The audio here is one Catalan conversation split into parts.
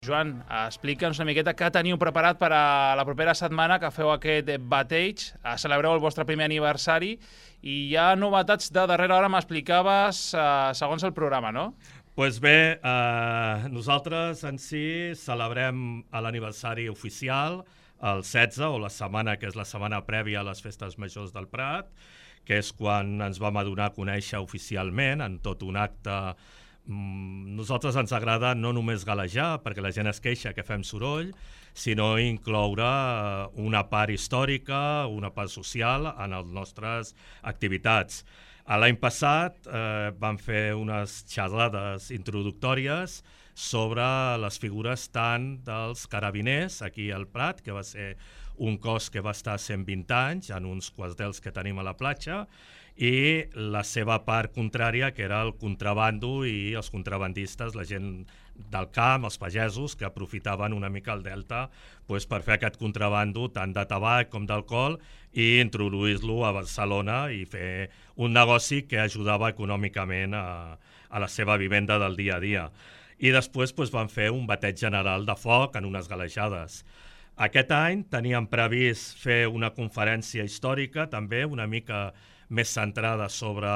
Joan, explica'ns una miqueta què teniu preparat per a la propera setmana que feu aquest bateig, celebreu el vostre primer aniversari i hi ha novetats de darrera hora, m'explicaves, segons el programa, no? Doncs bé, nosaltres en si celebrem l'aniversari oficial el 16, o la setmana que és la setmana prèvia a les festes majors del Prat, que és quan ens vam donar a conèixer oficialment en tot un acte. Nosaltres ens agrada no només galejar, perquè la gent es queixa que fem soroll, sinó incloure una part històrica, una part social en les nostres activitats. L'any passat vam fer unes xerrades introductòries sobre les figures tant dels carabiners aquí al Prat, que va ser un cos que va estar 120 anys en uns quartels que tenim a la platja, i la seva part contrària, que era el contrabando i els contrabandistes, la gent del camp, els pagesos, que aprofitaven una mica el delta per fer aquest contrabando tant de tabac com d'alcohol i introduir-lo a Barcelona i fer un negoci que ajudava econòmicament a la seva vivenda del dia a dia. I després van fer un bateig general de foc en unes galejades. Aquest any teníem previst fer una conferència històrica, també una mica més centrada sobre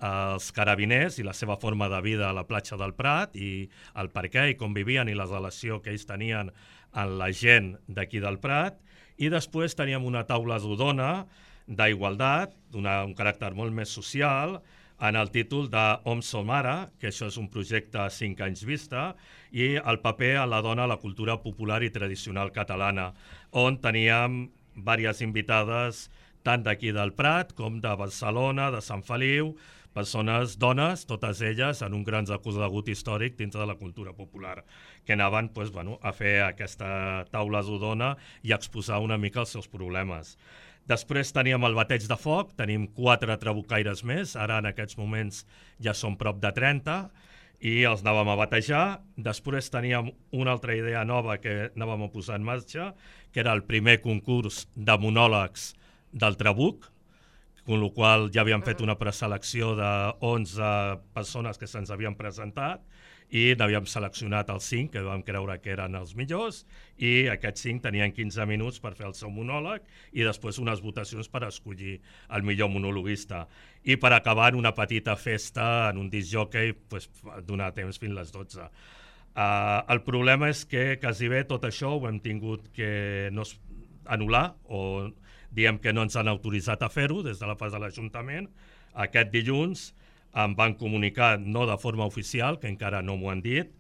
els carabiners i la seva forma de vida a la platja del Prat i el per què i com vivien i la relació que ells tenien amb la gent d'aquí del Prat. I després teníem una taula rodona d'igualtat, un caràcter molt més social, en el títol de Hom som ara, que això és un projecte a 5 anys vista, i el paper a la dona a la cultura popular i tradicional catalana, on teníem diverses invitades tant d'aquí del Prat com de Barcelona, de Sant Feliu, persones, dones, totes elles en un gran recorregut històric dintre de la cultura popular, que anaven a fer aquesta taula rodona i a exposar una mica els seus problemes. Després teníem el bateig de foc, tenim 4 trabucaires més, ara en aquests moments ja són prop de 30, i els anàvem a batejar. Després teníem una altra idea nova que anàvem a posar en marxa, que era el primer concurs de monòlegs del Trabuc, amb la qual ja havíem fet una preselecció de 11 persones que se'ns havien presentat i n'havíem seleccionat els 5 que vam creure que eren els millors, i aquests 5 tenien 15 minuts per fer el seu monòleg i després unes votacions per escollir el millor monologuista. I per acabar una petita festa en un disc jockey, donar temps fins les 12. El problema és que quasi bé tot això ho hem tingut que anul·lar, o diem que no ens han autoritzat a fer-ho des de la part de l'Ajuntament. Aquest dilluns em van comunicar, no de forma oficial, que encara no m'ho han dit,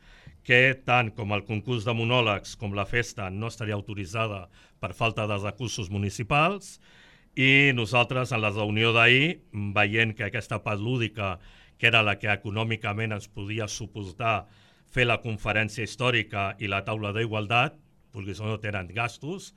que tant com el concurs de monòlegs com la festa no estaria autoritzada per falta de recursos municipals, i nosaltres en la reunió d'ahir, veient que aquesta part lúdica, que era la que econòmicament ens podia suportar fer la conferència històrica i la taula d'igualtat, perquè això no tenen gastos,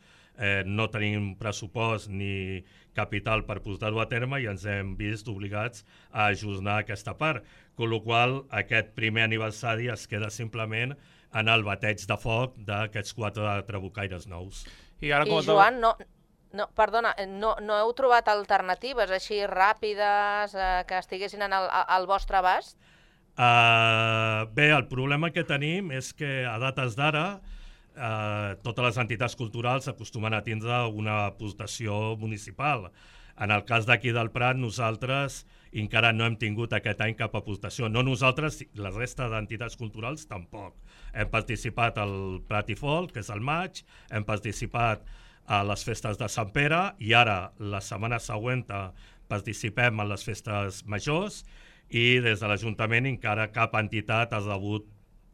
no tenim pressupost ni capital per portar-ho a terme i ens hem vist obligats a ajornar aquesta part, amb la qual cosa aquest primer aniversari es queda simplement en el bateig de foc d'aquests 4 trabucaires nous. I Joan, perdona, no heu trobat alternatives així ràpides que estiguessin al vostre abast? Bé, el problema que tenim és que a dates d'ara totes les entitats culturals acostumen a tindre una aportació municipal. En el cas d'aquí del Prat, nosaltres encara no hem tingut aquest any cap aportació. No nosaltres, la resta d'entitats culturals tampoc. Hem participat al Prat i Folk, que és al maig, hem participat a les festes de Sant Pere i ara, la setmana següent, participem en les festes majors i des de l'Ajuntament encara cap entitat ha rebut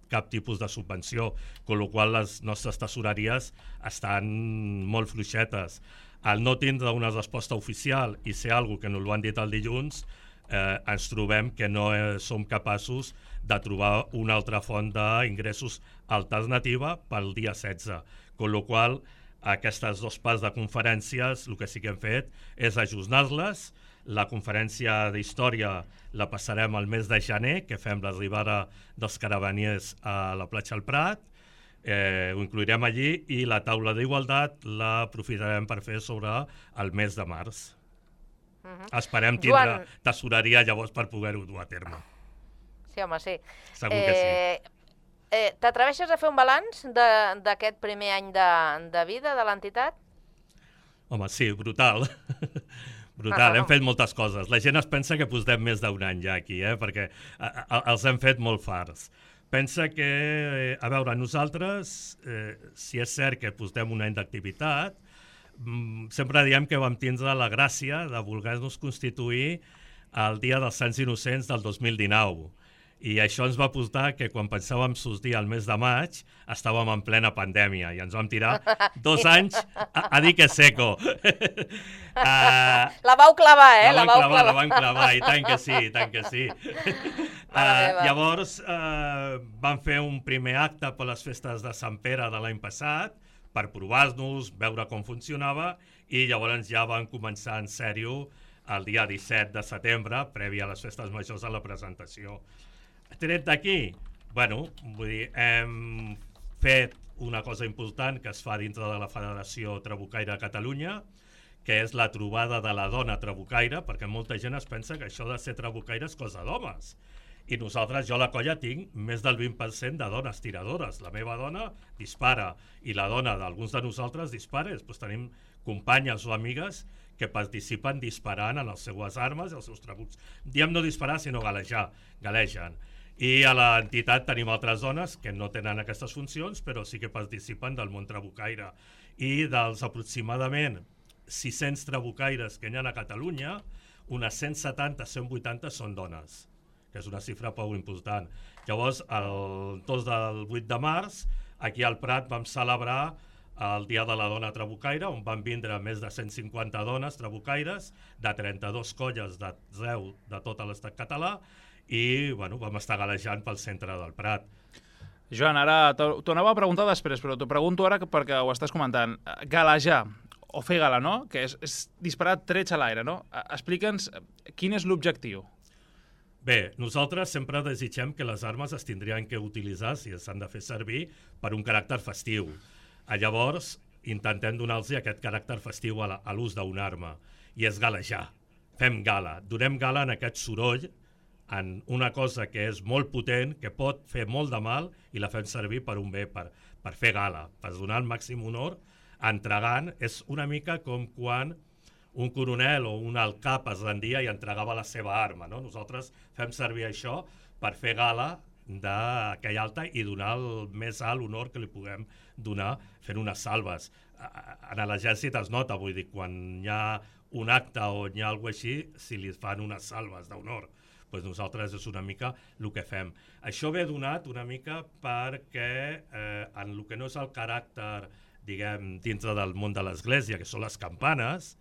cap tipus de subvenció, amb la qual cosa les nostres tesoreries estan molt fluixetes. Al no tindre una resposta oficial i ser alguna que no ho han dit el dilluns, ens trobem que no som capaços de trobar una altra font d'ingressos alternativa pel dia 16, amb la qual cosa aquestes 2 parts de conferències el que sí que hem fet és ajornar-les. La conferència d'història la passarem al mes de gener, que fem l'arribada dels carabiniers a la platja del Prat, ho incluirem allí, i la taula d'igualtat l'aprofitarem per fer sobre el mes de març. Esperem tindre tesoreria llavors per poder-ho dur a terme. Sí, home, sí. Segur que sí. T'atreveixes a fer un balanç d'aquest primer any de vida de l'entitat? Home, sí, brutal. Brutal, hem fet moltes coses. La gent es pensa que portem més d'un any ja aquí, perquè els hem fet molt farts. Pensa que, a veure, nosaltres, si és cert que portem un any d'activitat, sempre diem que vam tindre la gràcia de voler-nos constituir el Dia dels Sants Innocents del 2019. I això ens va portar que quan pensàvem sortir al mes de maig estàvem en plena pandèmia i ens vam tirar 2 anys a dir que seco. La vau clavar, La vam clavar, i tant que sí, i tant que sí. Llavors vam fer un primer acte per les festes de Sant Pere de l'any passat per provar-nos, veure com funcionava, i llavors ja vam començar en sèrio el dia 17 de setembre, previ a les festes majors, a la presentació. Tret d'aquí, hem fet una cosa important que es fa dintre de la Federació Trabucaire de Catalunya, que és la trobada de la dona trabucaire, perquè molta gent es pensa que això de ser trabucaire és cosa d'homes. I nosaltres, jo a la colla tinc més del 20% de dones tiradores. La meva dona dispara i la dona d'alguns de nosaltres dispara. Després tenim companyes o amigues que participen disparant en les seues armes i els seus trabucs. Diem no disparar, sinó galegen. I a l'entitat tenim altres dones que no tenen aquestes funcions, però sí que participen del món trabucaire. I dels aproximadament 600 trabucaires que hi ha a Catalunya, unes 170-180 són dones, que és una xifra prou important. Llavors, el 2 del 8 de març, aquí al Prat vam celebrar el Dia de la Dona Trabucaire, on van vindre més de 150 dones trabucaires, de 32 colles d'arreu de tot l'estat català, i vam estar galejant pel centre del Prat. Joan, ara t'ho anava a preguntar després, però t'ho pregunto ara perquè ho estàs comentant. Galejar, o fer gala, no? Que és disparar trets a l'aire, no? Explica'ns quin és l'objectiu. Bé, nosaltres sempre desitgem que les armes es tindrien que utilitzar, si s'han de fer servir, per un caràcter festiu. Llavors, intentem donar-los aquest caràcter festiu a l'ús d'una arma, i és galejar. Fem gala, donem gala en aquest soroll, en una cosa que és molt potent, que pot fer molt de mal, i la fem servir per un bé, per fer gala, per donar el màxim honor, entregant. És una mica com quan un coronel o un alt cap es rendia i entregava la seva arma, no? Nosaltres fem servir això per fer gala d'aquell alta i donar el més alt honor que li puguem donar fent unes salves. En l'exèrcit es nota, vull dir, quan hi ha un acte o hi ha alguna cosa així, si li fan unes salves d'honor. Doncs nosaltres és una mica el que fem. Això ve donat una mica perquè en el que no és el caràcter, diguem, dintre del món de l'Església, que són les campanes,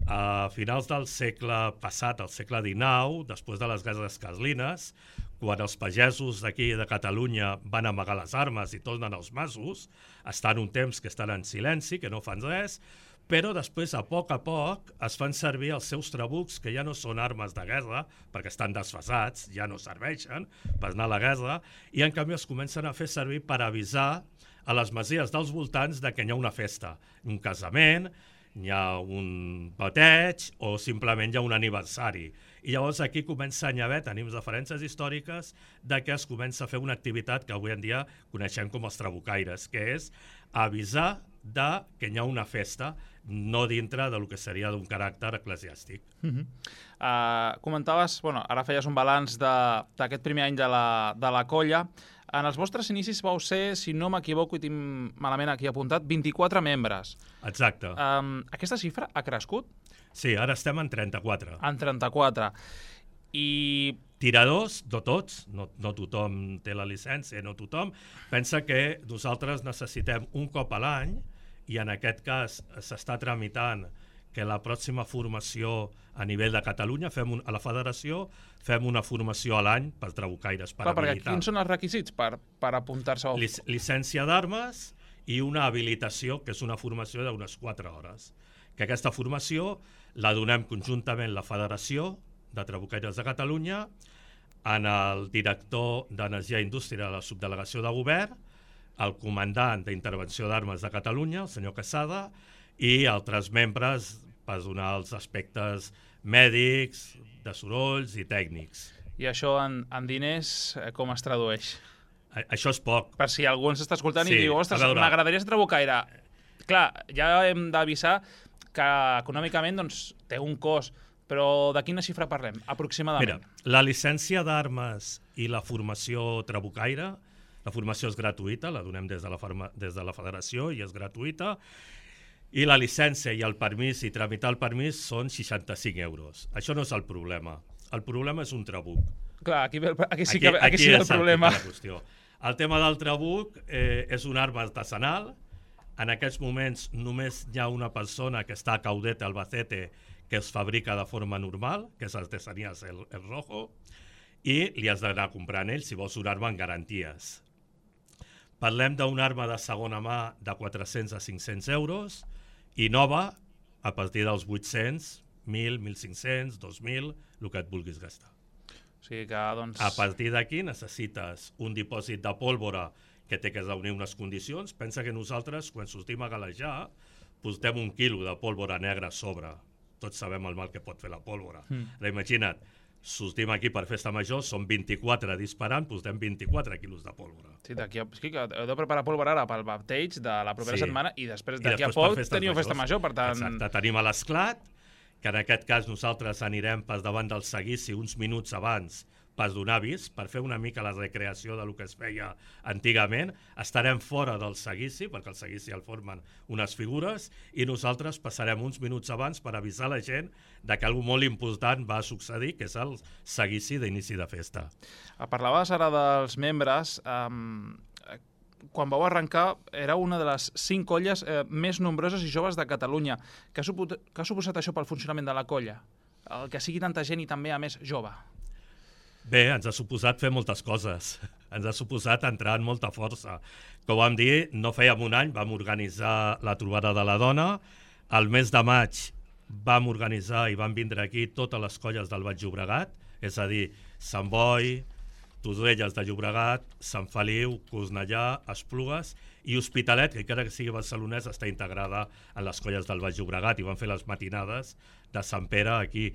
a finals del segle passat, al segle XIX, després de les guerres carlines, quan els pagesos d'aquí de Catalunya van amagar les armes i tornen als masos, estan un temps que estan en silenci, que no fan res, però després, a poc es fan servir els seus trabucs, que ja no són armes de guerra, perquè estan desfasats, ja no serveixen per anar a la guerra, i en canvi es comencen a fer servir per avisar a les masies dels voltants de que hi ha una festa, un casament, hi ha un bateig o simplement hi ha un aniversari. I llavors aquí comença a haver, tenim referències històriques de que es comença a fer una activitat que avui en dia coneixem com els trabucaires, que és avisar que hi ha una festa, no dintre del que seria d'un caràcter eclesiàstic. Comentaves, ara feies un balanç d'aquest primer any de la colla. En els vostres inicis vau ser, si no m'equivoco i tinc malament aquí apuntat, 24 membres. Exacte. Aquesta xifra ha crescut? Sí, ara estem en 34. En 34. I... Tiradors, no tots, no tothom té la llicència, no tothom. Pensa que nosaltres necessitem un cop a l'any, i en aquest cas s'està tramitant que la pròxima formació a nivell de Catalunya, a la federació, fem una formació a l'any per trabucaires, per habilitar. Perquè quins són els requisits per apuntar-se? Llicència d'armes i una habilitació, que és una formació d'unes 4 hores. Que aquesta formació la donem conjuntament la Federació de Trabucaires de Catalunya, en el director d'Energia i Indústria de la Subdelegació de Govern, el comandant d'Intervenció d'Armes de Catalunya, el senyor Casada, i altres membres per donar els aspectes mèdics, de sorolls i tècnics. I això en diners com es tradueix? Això és poc. Per si algú ens està escoltant Sí, i diu, ostres, a veure. m'agradaria ser trabucaire. Clar, ja hem d'avisar que econòmicament doncs, té un cost, però de quina xifra parlem, aproximadament? Mira, la llicència d'armes i la formació trabucaire, la formació és gratuïta, la donem des de la federació i és gratuïta, i la llicència i el permís i tramitar el permís són 65 euros. Això no és el problema. El problema és un trabuc. Clar, aquí sí que el problema. La qüestió. El tema del trabuc és una arma artesanal. En aquests moments només hi ha una persona que està a Caudete, Albacete, que es fabrica de forma normal, que és Artesanías El Rojo, i li has d'anar comprant ell si vols una arma en garanties. Parlem d'una arma de segona mà de 400 a 500 euros i nova a partir dels 800, 1.000, 1.500, 2.000, el que et vulguis gastar. O sigui que, doncs... A partir d'aquí necessites un dipòsit de pólvora que té que reunir unes condicions. Pensa que nosaltres, quan sortim a galejar, postem 1 quilo de pólvora negra a sobre. Tots sabem el mal que pot fer la pólvora. Imagina't, sortim aquí per festa major, són 24 disparant, postem 24 quilos de pólvora. Sí, d'aquí a... Sí, que heu de preparar pólvora ara pel bateig de la propera setmana i després d'aquí a després poc teniu festa major, per tant... Exacte, tenim a l'esclat, que en aquest cas nosaltres anirem pas davant del seguici uns minuts abans per donar avís, per fer una mica la recreació del que es feia antigament. Estarem fora del seguici, perquè el seguici el formen unes figures, i nosaltres passarem uns minuts abans per avisar la gent de que alguna molt important va succeir, que és el seguici d'inici de festa. Parlaves ara dels membres. Quan vau arrencar, era una de les 5 colles més nombroses i joves de Catalunya. Què ha suposat això pel funcionament de la colla? El que sigui tanta gent i també, a més, jove. Bé, ens ha suposat fer moltes coses. Ens ha suposat entrar en molta força. Com vam dir, no fèiem un any, vam organitzar la trobada de la dona. Al mes de maig vam organitzar i van vindre aquí totes les colles del Baix Llobregat, és a dir, Sant Boi, Torrelles de Llobregat, Sant Feliu, Cornellà, Esplugues i Hospitalet, que encara que sigui barcelonès, està integrada en les colles del Baix Llobregat i van fer les matinades de Sant Pere aquí.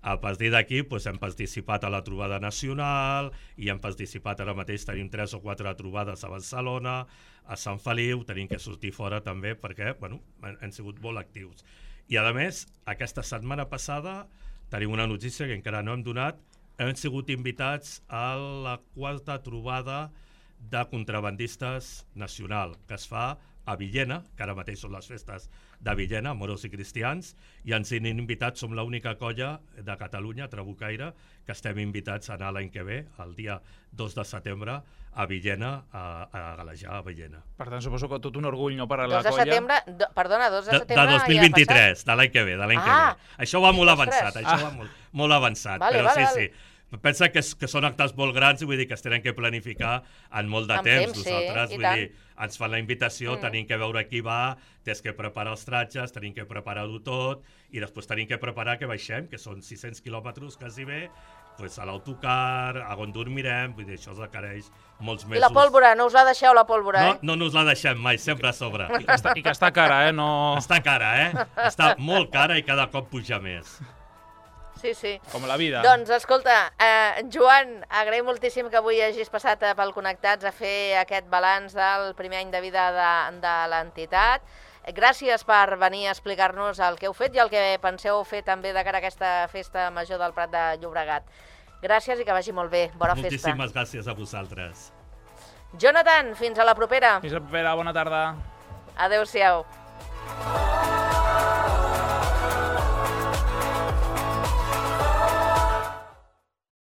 A partir d'aquí hem participat a la trobada nacional i hem participat, ara mateix tenim 3 o 4 trobades a Barcelona, a Sant Feliu, tenim que sortir fora també perquè han sigut molt actius. I a més, aquesta setmana passada tenim una notícia que encara no hem donat, hem sigut invitats a la 4a trobada de contrabandistes nacional, que es fa a Villena, que ara mateix són les festes de Villena, moros i cristians, i ens han invitat, som l'única colla de Catalunya, trabucaire, que estem invitats a anar l'any que ve, el dia 2 de setembre, a Villena, a galejar a Villena. Per tant, suposo que tot un orgull, no, per a la colla. 2 de setembre, perdona, 2 de setembre... De 2023, de l'any que ve, que ve. Això va molt avançat, això va molt avançat, però sí. Pensa que són actes molt grans i vull dir que es tenen que planificar en molt de temps. Nosaltres, vull dir, ens fan la invitació, tenim que veure qui va, tens que preparar els tratges, tenim que preparar-ho tot i després tenim que preparar que baixem, que són 600 quilòmetres quasi bé, a l'autocar, a on dormirem, vull dir, això es requereix molts mesos. I la pólvora, no us la deixeu la pólvora, eh? No us la deixem mai, sempre a sobre. I que està cara, eh? Està cara, eh? Està molt cara i cada cop puja més. Sí. Com la vida. Doncs, escolta, Joan, agraïm moltíssim que avui hagis passat pel Connectats a fer aquest balanç del primer any de vida de l'entitat. Gràcies per venir a explicar-nos el que heu fet i el que penseu fer també de cara a aquesta festa major del Prat de Llobregat. Gràcies i que vagi molt bé. Bona festa. Moltíssimes gràcies a vosaltres. Jonathan, fins a la propera. Fins a la propera, bona tarda. Adéu-siau.